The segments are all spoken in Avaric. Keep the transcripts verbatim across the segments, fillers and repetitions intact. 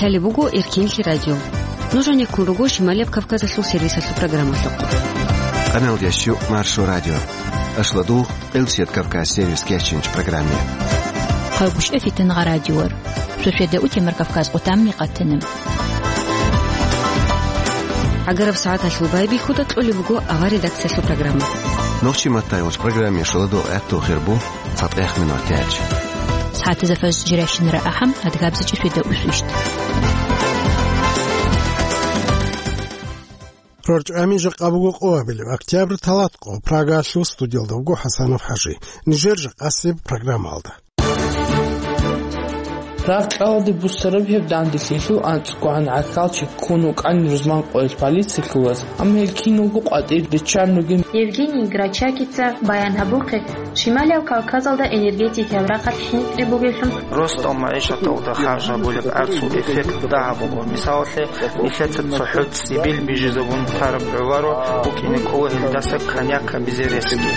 Лъалеб буго Эркенлъи радио. Нуж гьанеккун руго Шималияб Кавказалъул сервисалъул программалъухъ. Къаналда щу Маршо радио. Ашладугъ, Элсият Кавказ сервис кечинч программе. Хъалгушев Фитнагъа радиор. Шошеда утемар Кавказ къутамни къатана. Агараб сагӀаталъул байбихьуда кьолеб буго авар редакциялъул программа. Нохчи маттай уч программе шуладо гӀатту хирбу. ЦатӀех минутач. СагӀатазда фажр жирайщинара ахӀам, адгабзачӀи шуйда усвищт. РорчӀами жакъа буго къо абилеб октябрь талат къо, Прагалъул студиялда вуго ХӀасанов ХӀажи. Нижер жакъасеб программалда. Рагъ-кьалалде буссараб гьеб данделъиялъул анцӀгогӀан гӀахьалчи ккун вукӀан рузман къоялъ полициялъулаз, амма гьел киналго къватӀир риччан ругин. Евгений Грачакица баян гьабухъе, Шималияб Кавказалда энергетикаяб рахъалъ хӀинкъи бугеблъун. Ростал магӀишаталда харж гьабулеб гӀарцул эффект дагьаб буго. Мисалалъе, нилъеца цохӀо цӀибил бижизабун тараб гӀоларо букӀине кӀола гьелдаса коньяк гьабизе ресги.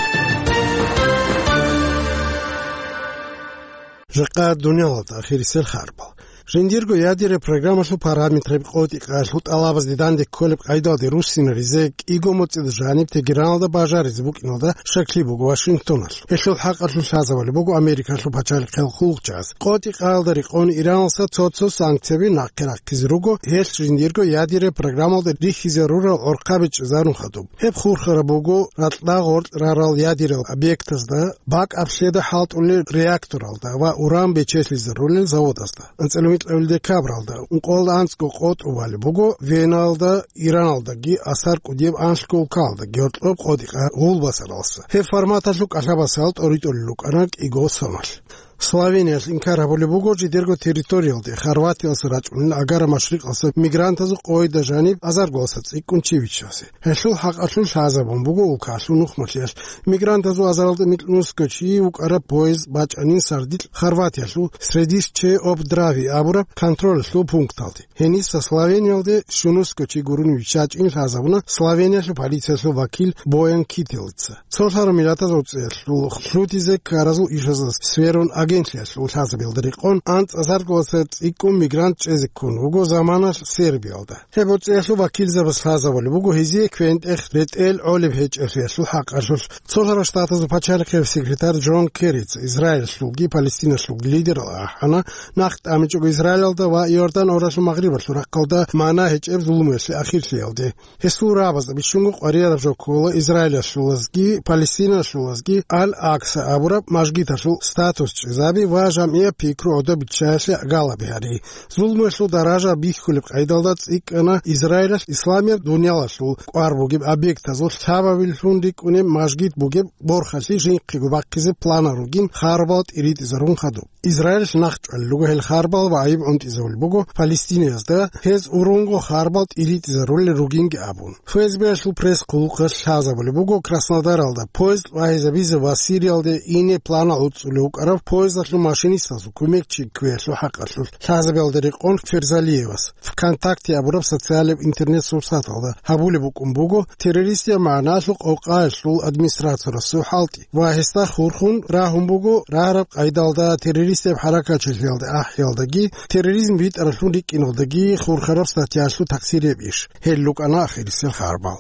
Жакъа дуниялалда ахирисел харбал. Жиндирго ядераб программалъул параметраб къотӀи-къалъул тӀалабазде данде кколеб къайдалде руссинаризе кӀиго моцӀида жаниб Тегераналда бажаризе букӀиналда щаклъи буго Вашингтоналъ. Гьелъул хӀакъалъулъ лъазабали буго Америкалъул пачалихъал хъулухъчияс. КъотӀи-къалда рекъон Ираналъа цо-цо санкцияби нахъе рахъизе руго, гьелъ жиндирго ядераб программалда рихьизарурал гӀорхъаби чӀезарун хадуб. Гьеб хурхараб буго ракьда гъоркь рарал ядерал объектазда бакӀ аблъеда хӀалтӀулел реакторалда ва уран бечелъизарулел заводазда. АнцӀила микьабил декабралда ункъоялда анцӀго къотӀу балеб буго Веналда, Ираналдаги асар кӀудияб анлъго улкаялдаги гьоркьоб къотӀи-къа гъулбасаралса. Гьеб форматалъул кӀалъабасал тӀоритӀулел рукӀана кӀиго соналъ. Словениялъ инкар гьабулеб буго жидерго территориялде Хорватиялъа рачӀунел Агара машрикъалъа мигрантазул къойда жаниб азарго цӀикӀкӀун чи виччазе. Гьелъул хӀакъалъулъ лъазабун буго улкалъул нухмалъиялъ мигрантазул азаралда микьнусго чи вукӀараб поезд бачӀанин сардилъ Хорватиялъул Средище об Драви абураб контролалъул пункталде. Гьениса Словениялде щунусго чи гурони виччачӀин лъазабуна Словениялъул полициялъул вакил Боян Кителица. Цолъараб миллатазул цӀеялъул лъутизе ккаразул ишазда сверун агентлъиялъул лъазабиялда рекъон анцӀазарго цӀикӀкӀун мигрант чӀезе ккун вуго заманалъ Сербиялда. Гьеб цӀеялъул вакилзабаз лъазабулеб буго гьезие квен-тӀех ретӀел гӀолеб гьечӀелъиялъул хӀакъалъулъ. Цолъараб Штатазул пачалихъияб секретарь Джон Керрица Израилалъулги Палестиналъулги лидерал ахӀана, нахъ тӀамичӀого Израилалда ва Иордан оралъул магърибалъул рахъалда мана гьечӀеб зулумуялъе ахирлъиялде. Гьесул рагӀабазда бищунго къварияраб жо ккола Израилалъулазги Палестиналъулазги Ал-Акса абураб мажгиталъул статус чӀезаби ва жамгӀияб пикру гӀодобиччаялъе галаби гьари. Зулмуялъул даража бихьулеб къайдалда цӀикӀкӀана Израилалъ исламияб дуниялалъул кӀвар бугеб объектазул лъабабилъун рикӀкӀунеб мажгит бугеб борхалъи жинхъего бахъизе планал ругин харбал тӀиритӀизарун хадуб. Израилалъ нахъчӀвалел руго гьел харбал ва гӀайиб гӀунтӀизабулеб буго Палестинаязда, гьез урунго харбал тӀиритӀизарулел ругинги абун. ФСБ-ялъул пресс-хъулухъалъ лъазабулеб буго Краснодаралда поезд вагьизабизе ва Сириялде ине планал гӀуцӀулев вукӀарав поездалъул машинистазул кумекчи кквеялъул хӀакъалъулъ лъазабиялда рекъон Ферзалиевас ВКонтакте абураб социалаб интернет-сурсаталда гьабулеб букӀун буго террористияб магӀналъул къокъаялъул администрациясул хӀалтӀи ва гьесда хурхун рагьун буго рагьараб къайдалда террористияб хӀаракатчилъиялда ахӀиялдаги терроризм битӀаралъун рикӀкӀиналдаги хурхараб статьялъул такъсирияб иш. Гьел рукӀана ахирисел харбал.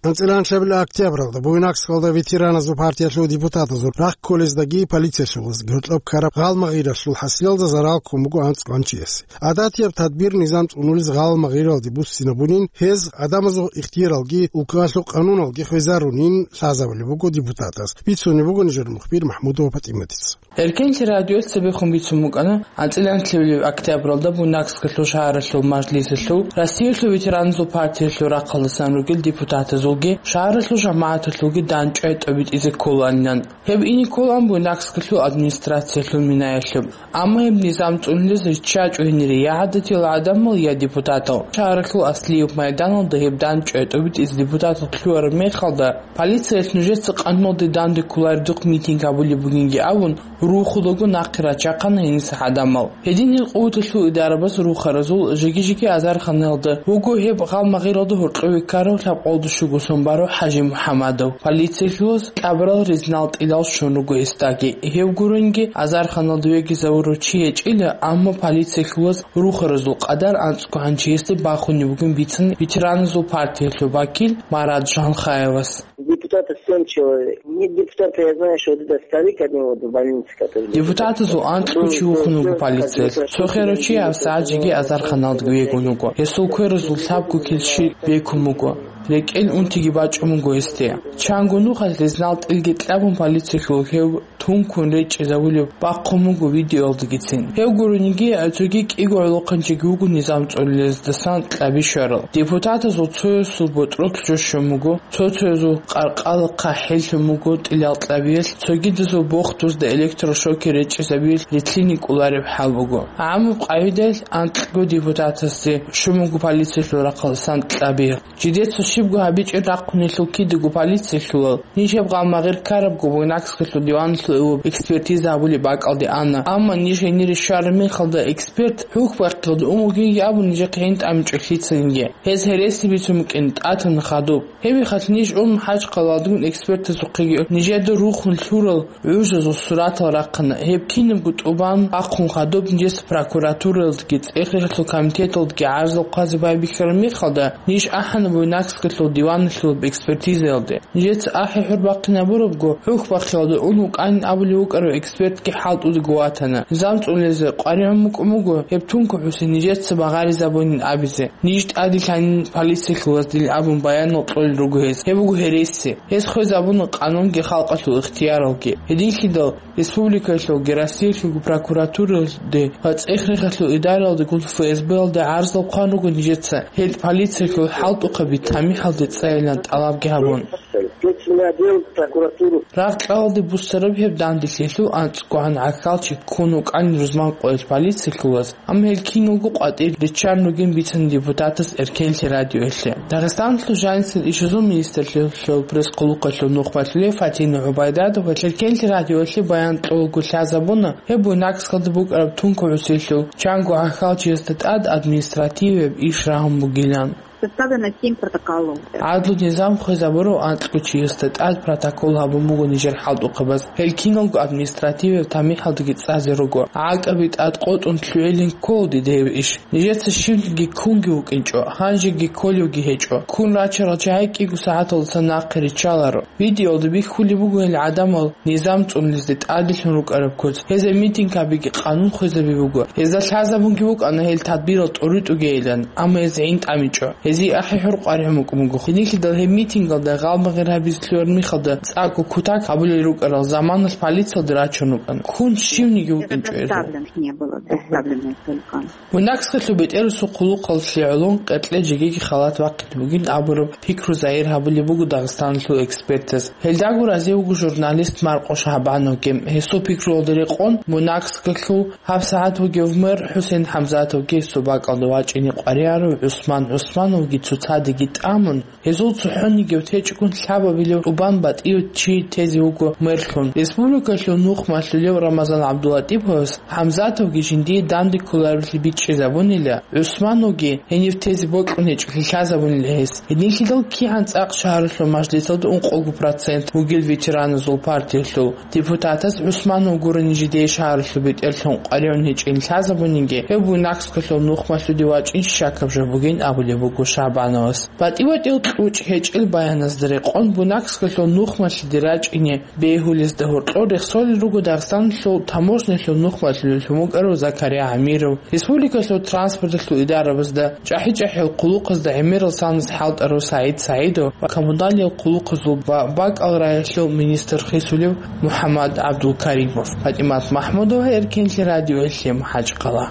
АнцӀила анлъабил октябралда Буйнакскалда ветераназул партиялъул депутатазул рахъ кколездаги полициялъулазги гьоркьоб ккараб гъалмагъиралъул хӀасилалда зарал ккун буго анцӀ гъанчиясе. ГӀадатияб тадбир-низам цӀунулез гъалмагъиралде буссинабунин, гьез гӀадамазул ихтияралги улкалъул къануналги хвезарунин лъазабулеб буго депутатаз. Бицунеб буго нижер мухбир МахӀмудова ПатӀиматица. Эркенлъи радиоца цебехун бицун букӀана, анцӀила анлъабилеб октябралда Буйнакскалъул шагьаралъул мажлисалъул, Россиялъул ветераназул партиялъул рахъалдасан ругел депутатазулги шагьаралъул жамагӀаталъулги дандчӀвай тӀобитӀизе кколаанилан. Гьеб ине кколаан Буйнакскалъул администрациялъул минаялъуб. Амма гьеб низам цӀунулез риччачӀо гьенире я гӀадатиял гӀадамал, я депутатал. Шагьаралъул Аслиев майданалда гьеб дандчӀвай тӀобитӀизе депутатал лъугьараб мехалда, полициялъ нужеца къануналде данде кколареб духъ митинг гьабулеб бугинги абун, рухудаго нахъе рачахъана гьениса гӀадамал. Гьедин гьел къуваталъул идарабаз рухаразул жеги-жеги азарханалда вуго гьеб гъалмагъиралда гьоркьове ккарав лъабкъоялда щуго Сомбаров ХӀажимухӀаммадов. Полициялъулаз кьабурал ризналъ тӀилал щун руго гьесдаги. Гьев гуринги, азарханалда вегизавурав чи гьечӀила, амма полициялъулаз рухаразул къадар анцӀго гьанжеясде бахунеб бугин бицана ветераназул партиялъул вакил Марат Жанхаевас. Депутата семь человек. Нет депутата, я знаю, что это старик один вот в больнице, который лежит. Депутатазул анцӀго чи вухун вуго полициялъ. Цо херав чи гьабсагӀат жеги азарханалда вегун вуго. Гьесул кверазул лъабго килщи бекун буго. РекӀел унтиги бачӀун буго гьесде. Чанго нухалъ ризналъ тӀилги кьабун полициялъул гьев тункун речӀчӀизавулеб бахъун буго видеоялдагицин. Гьев гурониги, цоги кӀиго гӀолохъанчиги вуго низам цӀолилаздасан кьаби щварал. Депутатазул цоясул ботӀролъ жо щун буго, цо-цоязул къаркъалахъа хӀеллъун буго тӀилал кьабиялъ, цогидазул бохтузда электрошокер речӀчӀизабиялъ рилълъине кӀолареб хӀал буго. ГӀамаб къагӀидаялъ анкьго депутатасде щун буго полициялъул рахъалдасан кьаби. Жидеца щибго гьабичӀеб рахъунелъул кидаго полициялъулал, ниж гьеб гъалмагъир ккарабго Буйнакскалъул диваналъул экспертиза гьабулеб бакӀалде ана, амма ниж гьенире щвараб мехалда эксперт хӀухьбахъиялда ун вугин абун нижехъе гьин тӀамичӀо лъицаниги. Гьез гьереси бицун букӀин тӀатана хадуб. Гьеб мехалъ ниж ун ХӀачкъаладгун экспертазухъеги нижеда рухун лъурал гӀужазул суратал рахъана. Гьеб кинабго тӀубан бахъун хадуб нижеца прокуратуралдги цӀех-рехалъул комитеталдги гӀарзал хъвазе байбихьараб мехалда, ниж ахӀана Буйнакскалъул диваналъулаб экспертизаялде. Нижеца ахӀи-хӀур бахъинабурабго, хӀухьбахъиялда ун вукӀанин абулев вукӀарав экспертги хӀалтӀудего ватана. Низам цӀолизе къваригӀун букӀун буго, гьеб тункун хӀусин нижеца багъаризабунин абизе. Ниж тӀаде лъанин полициялъулаз дил абун баянал кьолел руго гьез. Гьеб буго гьереси. Гьез хвезабуна къанунги халкъалъул ихтияралги. Гьединлъидал республикаялъулги Россиялъулги прокуратуралде ва цӀех-рехалъул идаралдегун ФСБ-ялда гӀарзал хъван руго нижеца гьел полициялъул хӀалтӀухъаби тамихӀалде цӀайилан тӀалабги гьабун. Следственный отдел, прокуратуру. Рагъ-кьалалде буссараб гьеб данделъиялъул анцӀгогӀан гӀахьалчи ккун вукӀанин рузман къоялъ полициялъулаз. Амма гьел киналго къватӀир риччан ругин бицана депутатас Эркенлъи радиоялъе. Дагъистаналъул жанисел ишазул министрлъиялъул пресс-хъулухъалъул нухмалъулев Фатина ГӀубайдатова Эркенлъи радиоялъе баян кьолаго лъазабуна гьеб Буйнакскалда букӀараб тункун хӀусилъул чанго гӀахьалчиясда тӀад административияб иш рагьун бугилан. Составлено семь протоколов. ГӀадлу-низам хвезабурав анкьго чиясда тӀад протокол гьабун буго нижер хӀалтӀухъабаз. Гьел киналго административияб тамихӀалдаги цӀазе руго. ГӀакӀаби тӀад къотӀун лъугӀилин ккола дида гьеб иш. Нижеца щивниги ккунги вукӀинчӀо, гьанжеги кколевги гьечӀо. Ккун рачарал чагӀи кӀиго сагӀаталдаса нахъе риччаларо. Видеоялда бихьулеб буго гьел гӀадамал низам цӀунулезде тӀаделъун рукӀараб куц. Гьезда митинг гьабиги къанун хвезаби буго. Гьезда лъазабунги букӀана гьел тадбирал тӀуритӀугейилан, амма гьез гӀин тӀамичӀо. Гьезие ахӀи-хӀур къваригӀун букӀун буго. Гьединлъидал гьеб митингалда гъалмагъир гьабизе лъугӀараб мехалда цӀакъго кутак гьабулел рукӀарал заманалъ полициялде рачун рукӀана. Ккун щивниги вукӀинчӀо гьезда. Предоставлен не было, предоставлен только. Буйнакскалъул бетӀерусул хъулухъалъе гӀолон къеркье жегиги халат бахъине бугин абураб пикру загьир гьабулеб буго Дагъистаналъул экспертаз. Гьелдаго разив вуго журналист Маркъо Шагьбановги. Гьесул пикруялда рекъон, Буйнакскалъул гьабсагӀат вугев мэр ХӀусен ХӀамзатовги гьесул бакӀалда вачӀине къваригӀарав ГӀусман ГӀусмановги цоцадеги тӀамун, гьезул цохӀонигев течӀгун лъабабилев тӀубан батӀияв чи тезе вуго мерлъун. Республикалъул нухмалъулев Рамазан ГӀабдулатӀиповас ХӀамзатовги жиндие данде кколаревлъи бичӀчӀизабунила, ГӀусмановги гьенив тезе бокьун гьечӀолъи лъазабунила гьес. Гьединлъидал кигӀан цӀакъ шагьаралъул мажлисалда ункъого процент вугел ветераназул партиялъул депутатас ГӀусманов гурони жидее шагьаралъул бетӀерлъун къваригӀун гьечӀин лъазабунинги, гьев Буйнакскалъул нухмалъуде вачӀин щакаб жо бугин абулеб буго Шагьбановас. БатӀи-батӀиял кьучӀ гьечӀел баяназда рекъон Буйнакскалъул нухмалъиде рачӀине бегьулезда гьоркьор рехсолел руго Дагъистаналъул таможнялъул нухмалъулев лъун вукӀарав Закария ГӀамиров, республикалъул транспорталъул идарабазда, чӀахӀи-чӀахӀиял хъулухъазда гӀемерал санас хӀалтӀарав СагӀид СагӀидов ва коммуналиял хъулухъазул ва бакӀал раялъул министр хисулев МухӀаммад ГӀабдулкаримов. ПатӀимат МахӀмудова, Эркенлъи радиоялъе, МахӀачкъала.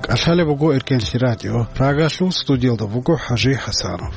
КӀалъалеб буго Эркенлъи радио. Прагалъул студиялда буго ХӀажи ХӀасанов.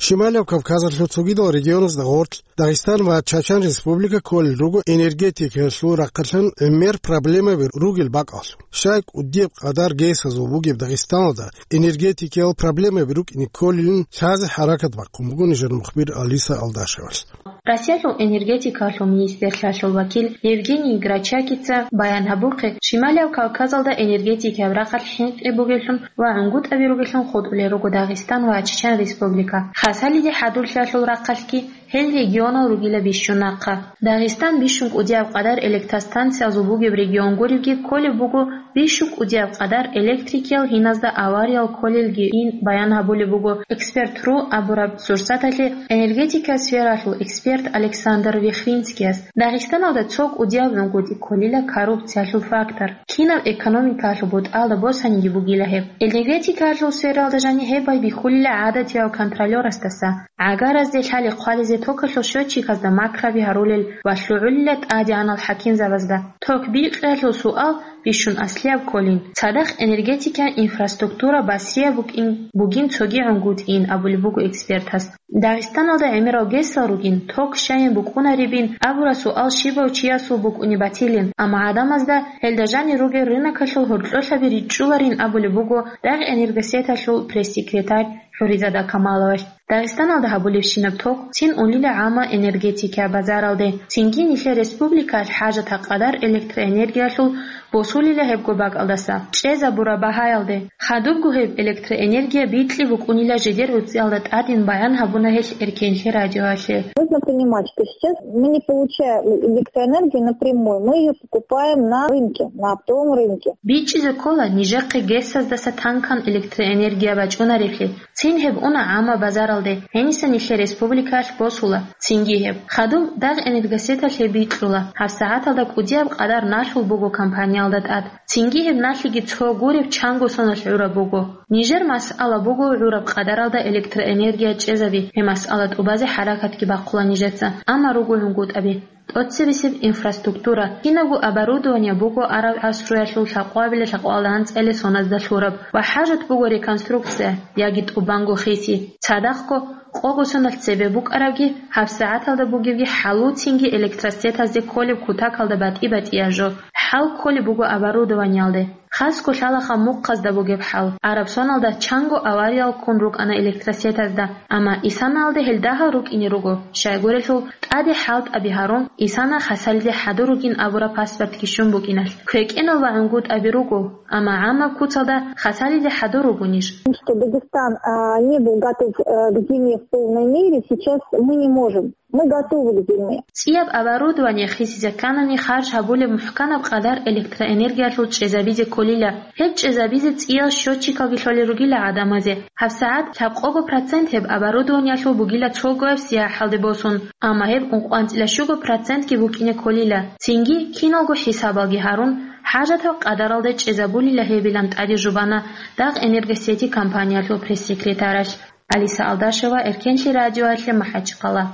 Шималияб Кавказалъул цогидал регионазда гъорлъ Дагъистан ва Чачан Республика кколел руго энергетикаялъул рахъалъан гӀемер проблемаби ругел бакӀалъ. Щай кӀудияб къадар гесазул бугеб Дагъистаналда энергетикиял проблемаби рукӀине кколилин лъазе хӀаракат бахъун буго нижер мухбир Алиса Алдашевалъ. Россиялъул энергетикалъул министрлъиялъул вакил Евгений Грачакица баян гьабухъе, Шималияб Кавказалда энергетикияб рахъалъ хӀинкъи бугеллъун ва гӀунгутӀаби ругеллъун хутӀулел руго Дагъистан ва Чечен Республика. Хасалиде хӀадурлъиялъул рахъалъги гьел регионал ругила бищун нахъа. Дагъистан бищун кӀудияб къадар электростанциязул бугеб регион гуребги кколеб буго, бищун кӀудияб къадар электрикиял гьиназда авариял кколелги ин баян гьабулеб буго «Эксперт ру» абураб сурсаталъе энергетика сфералъул эксперт Александр Вихринскияс. Дагъистаналда цо кӀудияб гӀунгутӀи кколила коррупциялъул фактор. Кинаб экономикаялъул бутӀалда босаниги бугила гьеб. Энергетикаялъул сфералда жаниб гьеб байбихьулила гӀадатияв контролёрасдаса. ГӀагаразде лъали хъвализе токалъул счётчиказда макраби гьарулел ва лъугӀулила тӀадегӀанал хӀакимзабазда. Ток бикьиялъул суал бищун аслияб кколин, цадахъ энергетикиян инфраструктура басрияб букӀин, бугин цоги гӀунгутӀиин абулеб буго экспертас. Дагъистаналда гӀемерал гесал ругин, ток щайин букӀунаребин абураб суал щибав чиясул букӀуни батилин, амма гӀадамазда гьелда жанир ругел рынокалъул гьоркьолъаби ричӀчӀуларин абулеб буго дагъ энергосеталъул пресс-секретарь ХӀуризада Камаловалъ. Дагъистаналда гьабулебщинаб ток цин унила гӀамма энергетикияб базаралде, цинги нилъер республикаялъ хӀажатаб къадар электроэнергиялъул босулила гьебго бакӀалдаса. ЧӀезабураб багьаялде, хадубго гьеб электроэнергия бикьи букӀунила жидер гӀуцӀиялда тӀадин баян гьабуна гьелъ Эркенлъи радиоялъе. Нужно понимать, что сейчас мы не получаем электроэнергию напрямую, мы её покупаем на рынке, на оптовом рынке. БичӀчӀизе ккола нижехъе гесаздаса танкан электроэнергия бачӀунаревлъи. Цин гьеб уна гӀамма базаралде, гьениса нилъер республикаялъ босула. Цинги гьеб хадуб дагъ энергосеталъе бикьула, гьабсагӀаталда кӀудияб къадар налъул буго компаниялда тӀад. Цинги гьеб налъиги цо гуреб чанго соналъ гӀураб буго. Нижер масъала буго гӀураб къадаралда электроэнергия чӀезаби, гьеб масъала тӀубазе хӀаракатги бахъула нижеца, амма руго гӀунгутӀаби. ТӀоцебесеб инфраструктура, кинабго оборудование буго араб гӀасруялъул лъакъвабила-лъакъвалда анцӀила соназда лъураб ва хӀажат буго реконструкция яги тӀубанго хиси. Цадахъго, къого соналъ цебе букӀарабги, гьабсагӀаталда бугебги хӀалуцинги электросетазде кколеб кутакалда батӀи-батӀияб жо. ХӀал кколеб буго оборудованиялде. Хасго лъалаха мухъазда бугеб хӀал. Араб соналда чанго авариял ккун рукӀана электросетазда, амма исанаялде гьел дагьал рукӀине руго, щайгурелъул тӀаде хӀалтӀаби гьарун, исана Хасалиде хӀадур ругин абураб паспортги щун букӀиналъ. КвекӀенал ва гӀунгутӀаби руго, амма гӀаммаб куцалда Хасалиде хӀадур ругонищ? Что Дагестан, а, не был готов, э, к зиме в полной мере, сейчас мы не можем. Мы готовы к зиме. ЦӀияб оборудование хисизе кканани харж гьабулеб мухӀканаб къадар электроэнергиялъул чӀезабизе кколила. Гьеб чӀезабизе цӀиял счётчикалги лъолел ругила гӀадамазе. ГьабсагӀат лъабкъого процент гьеб оборудованиялъул бугила цогояб сияхӀалде босун, амма гьеб ункъванцӀила щуго процентги букӀине кколила. Цинги, киналго хӀисабалги гьарун, хӀажатаб къадаралда чӀезабулила гьебилан тӀаде жубана дагъ энергосети компаниялъул пресс-секретаралъ. Алиса Алдашева, Эркенлъи радиоялъе, МахӀачхъала.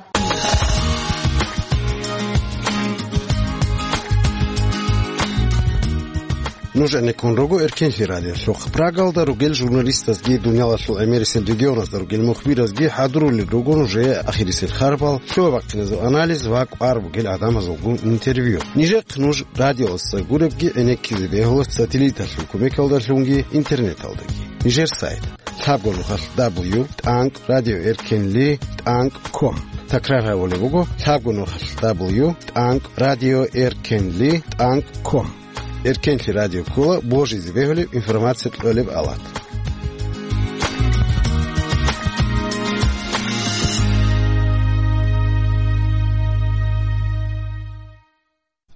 Нуж гӀенеккун руго Эркенлъи радиолъухъ. Прагалда ругел журналистазги, дуниялалъул гӀемерисел регионазда ругел мухбиразги хӀадурулел руго нужее ахирисел харбал, лъугьа-бахъиназул анализ ва кӀвар бугел гӀадамазулгун интервью. Нижехъ нуж радиоялдаса гуребги гӀенеккизе бегьула сателлиталъул кумекалдалъунги интернеталдаги. Нижер сайт: лъабго нухалъ дабл ю тӀанкӀ радио эркенли тӀанкӀ ком. Такрар гьабулеб буго: лъабго нухалъ дабл ю тӀанкӀ радио эркенли тӀанкӀ ком. Эркенлъи радио ккола божизе бегьулеб информация кьолеб алат.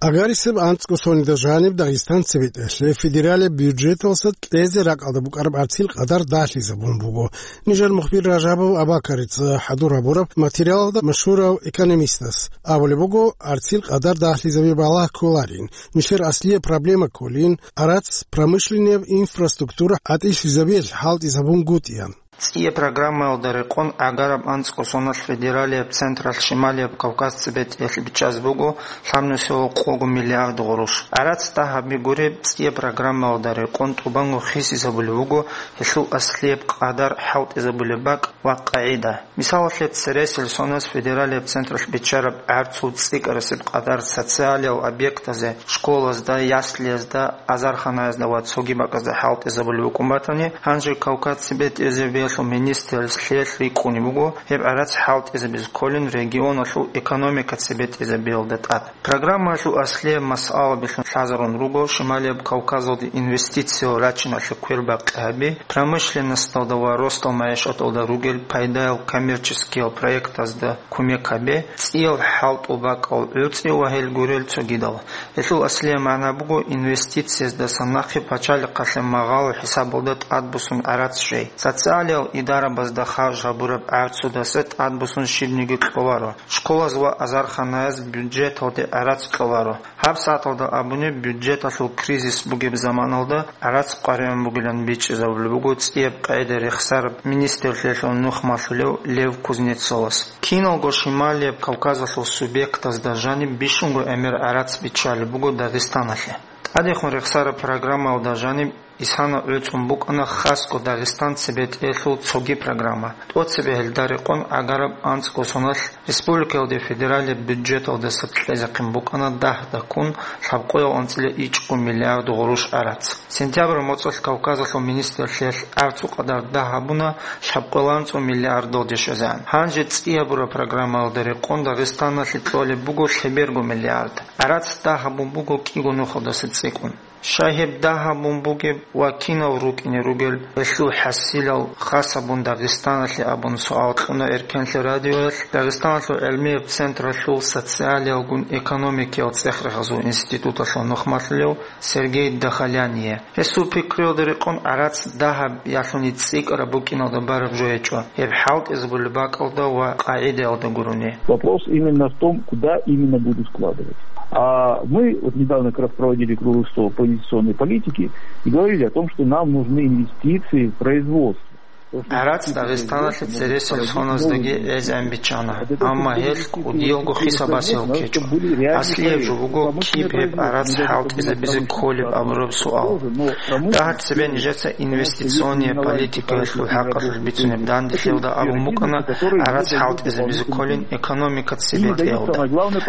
Агарисеб анцӀго соналда жаниб Дагъистан цебетӀелъе федералияб бюджеталдаса кьезе ракӀалда букӀараб гӀарцил къадар дагьлъизабун буго. Нижер мухбир Ражабов Абакарица хӀадур гьабураб материалалда машгьурав экономистас абулеб буго, гӀарцил къадар дагьлъизаби балагь кколарин, нилъер аслияб проблема кколин, гӀарац промышленнияб инфраструктура гӀатӀилъизабиялъ хӀалтӀизабунгутӀиялъ. ЦӀияб программаялда рекъон гӀагараб анцӀго соналъ федералияб централъ Шималияб Кавказ цебетӀеялъ бичӀчӀаз буго лъабнусиялъул къого миллиард гъурущ. ГӀарац дагьабги гуреб, цӀияб программаялда рекъон тӀубанго хисизабулеб буго гьелъул аслияб къадар, хӀалтӀизабулеб бакӀ ва къагӀида. Мисалалъе, цересел соназ федералияб централъ биччараб гӀарцул цӀикӀкӀарасеб къадар социалиял объектазе, школазда, яслиязда, азарханаязда ва цоги бакӀазда хӀалтӀизабулеб букӀун батани, гьанже Кавказ цебетӀезабиялъул министрлъиялъ рикӀкӀунеб буго гьеб гӀарац хӀалтӀизабизе кколин регионалъул экономика цебетӀезабиялда тӀад. Программаялъул аслияб масъалабилъун лъазарун руго Шималияб Кавказалде инвестициял рачиналъе квербакъи гьаби, промышленносталда ва росдал магӀишаталда ругел пайдаял коммерческиял проектазда кумек гьабе, цӀиял хӀалтӀул бакӀал гӀуцӀи ва гьел гурел цогидал. Гьелъул аслияб магӀна буго инвестицияздасан нахъе пачалихъалъе магъало хӀисабалда тӀадбуссун гӀарац щвей. Социалиял идарабазда харж гьабураб гӀарцудаса тӀадбуссун щибниги кьоларо. Школаз ва азарханаяз бюджеталде гӀарац кьоларо. ГьабсагӀаталда абуни, бюджеталъул кризис бугеб заманалда гӀарац къваригӀун бугилан бичӀчӀизабулеб буго цӀияб къагӀида рехсараб министрлъиялъул нухмалъулев Лев Кузнецовас. Киналго Шималияб Кавказалъул субъектазда жаниб бищунго гӀемер гӀарац биччалеб буго Дагъистаналъе. ТӀадехун рехсараб программаялда жаниб исана гӀуцӀун букӀана хасго Дагъистан цебетӀеялъул цоги программа. ТӀоцебе гьелда рекъон гӀагараб анцӀго соналъ республикаялде федералияб бюджеталдаса кьезехъин букӀана дагь-даккун лъабкъоял анцӀила ичӀго миллиард гъурущ гӀарац. Сентябрь моцӀалъ Кавказалъул министрлъиялъ гӀарцул къадар дагь гьабуна лъабкъоял анцӀго миллиардалде щвезегӀан. Гьанже цӀиябураб программаялда рекъон Дагъистаналъе кьолеб буго лъеберго миллиард. ГӀарац дагь гьабун буго кӀиго нухалдаса цӀикӀкӀун. Щай гьеб дагь гьабун бугеб ва кинав рукӀине ругел, гьелъул хӀасилал хас гьабун Дагъистаналъе абун суал кьуна Эркенлъи радиоялъ Дагъистаналъул гӀилмияб централъул социалиялгун экономикиял цӀех-рехазул институталъул нухмалъулев Сергей Дахаляне. Гьесул пикруялда рекъон гӀарац дагь гьаб ялъуни цӀикӀкӀараб букӀиналда бараб жо гьечӀо, гьеб хӀалтӀизабулеб бакӀалда ва къагӀидаялда гурони. Вопрос именно в том, куда именно будут вкладывать. А мы вот недавно как раз проводили круглый стол по инвестиционной политике и говорили о том, что нам нужны инвестиции в производство. ГӀарац Дагъистаналъе цересел соназдаги гӀезегӀан биччана, амма гьелъ кӀудиялго хисабасел ккечӀо. Аслияб жо буго киб гьеб гӀарац хӀалтӀизабизе кколеб абураб суал. Дагьаб цебе нижеца инвестиционная политикаялъул хӀакъалъулъ бицунеб данделъиялда абун букӀана гӀарац хӀалтӀизабизе кколин экономика цебетӀеялда.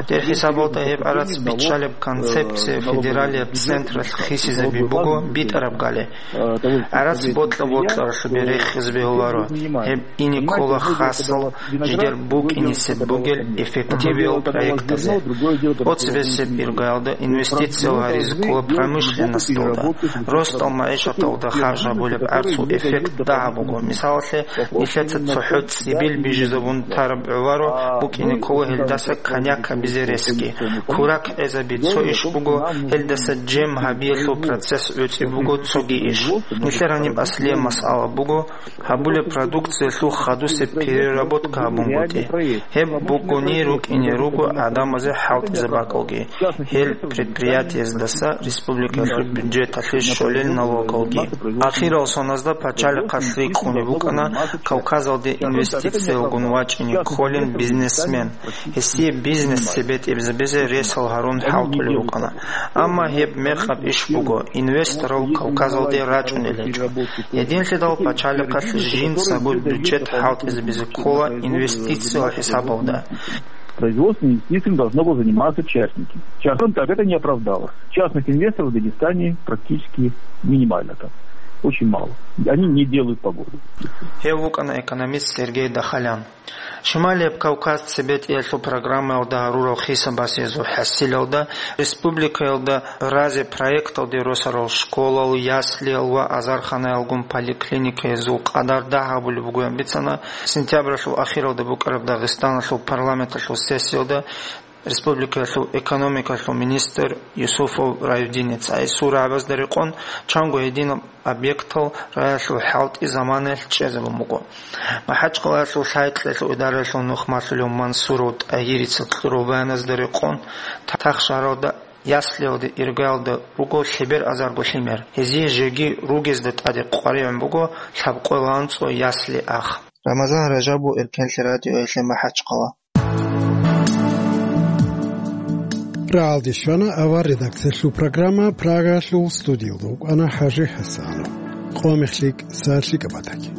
Дер хӀисабалда гьеб гӀарац биччалеб концепция федералияб централъ хисизаби буго битӀараб гали. ГӀарац бокьа-бокьаралъубе рехизе бегьуларо гьеб ине ккола хасал жидер букӀинисеб бугел эффективиял проектазе. ТӀоцебесеб иргаялда инвестициял гьаризе ккола промышленносталда, росдал магӀишаталда харж гьабулеб гӀарцул эффект дагьаб буго. Мисалалъе, нилъеца цохӀо цӀибил бижизабун тараб гӀоларо букӀине ккола гьелдаса коньяк гьабизе ресги. Курак гӀезаби цо иш буго, гьелдаса жем гьабиялъул процесс гӀуцӀи буго цоги иш. Нилъер гьаниб аслияб масъала буго, гьабулеб продукциялъул хадусеб переработка гьабунгутӀи. Гьеб бугони рукӀине руго гӀадамазе хӀалтӀизаб бакӀалги, гьел предприятиездаса республикалъул бюджеталъе щолел налогалги. Ахирал соназда пачалихъалъ рикӀкӀунеб букӀана Кавказалде инвестициялгун вачӀине кколин бизнесмен. Гьесие бизнес цебетӀебизабизе ресал гьарун хӀалтӀулеб букӀана. Амма гьеб мекъаб иш буго, инвесторал Кавказалде рачӀунел гьечӀо. Гьединлъидал пачалихъалъ жинцаго бюджет хӀалтӀизабизе ккола инвестициял хӀисабалда. Производственными инвестициями должно было заниматься частники. Частным так это не оправдалось. Частных инвесторов в Дагестане практически минимально там. Очень мало. Они не делают погоду. Гьев вукӀана экономист Сергей Дахалян. Шималияб Кавказ цебетӀеялъул программаялда гьарурал хисабасезул хӀасилалда, республикаялда разе проекталде росарал школал, яслиял ва азарханаялгун поликлиникаязул къадар дагь гьабулеб бугоян бицана сентябралъул ахиралда букӀараб Дагъистаналъул парламенталъул сессиялда республикаялъул экономикалъул министр Юсупов Райдинец. Гьесул рагӀабазда рекъон чанго гьединаб объектал раялъул хӀалтӀи заманаялъ чӀезабун буго. МахӀачкъалаялъул лъай-кьелъул идараялъул нухмалъулев Мансуров ТӀагьирица кьураб баяназда рекъон, Тахшаралда Яслиялда иргаялда руго лъебер азарго лъимер. Гьезие жеги ругезда тӀаде къваригӀун буго лъабкъоялда анцӀго ясли ах. Рамазан Ражабов, Эркенлъи радиоялъе, МахӀачхъала. РагӀалде щвана авар редакциялъул программа, Прагалъул студиялда вукӀана ХӀажи ХӀасанов. Къо мехлъи, сахлъи кӀабатаги.